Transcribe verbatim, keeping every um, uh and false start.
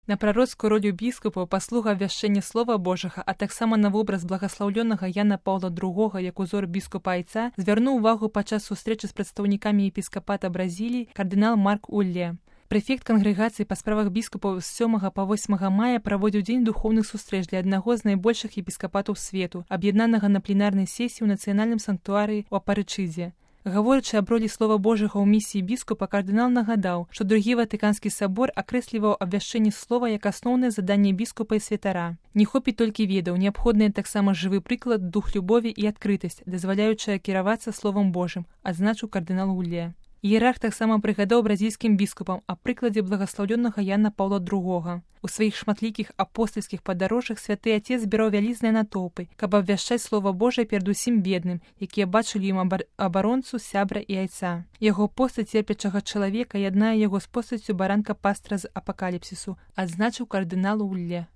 На прароцкую ролю біскупаў, паслуга абвяшчэння слова Божага, а таксама на вобраз благаслаўлёнага Яна Паўла другога як узор біскупа Айца звярнуў увагу падчас сустрэчы з прадстаўнікамі епіскапата Бразіліі кардынал Марк Улле. Прэфект кангрэгацыі па справах біскупаў з сёмага па восьмага мая праводзіў дзень духоўных сустрэч для аднаго з найбольшых епіскапатаў свету, аб'яднанага на пленарнай сесіі ў нацыянальным санктуарыі ў Апарычыдзе. Гаворачы аб ролі слова Божага ў місіі біскупа, кардынал нагадаў, што другі Ватыканскі сабор акрэсліваў абвяшчэнне слова як асноўнае заданне біскупа і святара. Не хопіць толькі ведаў, неабходны таксама жывы прыклад, дух любові і адкрытасць, дазваляючая кіравацца словам Божым, адзначыў кардынал Улле. Іерарх таксама прыгадаў бразільскім біскупам аб прыкладзе благаслаўлёнага Яна Паўла другога. У сваіх шматлікіх апостальскіх падарожжах святы Атец збіраў вялізныя натоўпы, каб абвяшчаць слова Божае перад усім бедным, якія бачылі ім абар... абаронцу, сябра і айца. Яго постаць церпячага чалавека яднае яго з постаццю баранка пастра з апакаліпсісу, адзначыў кардынал Улле.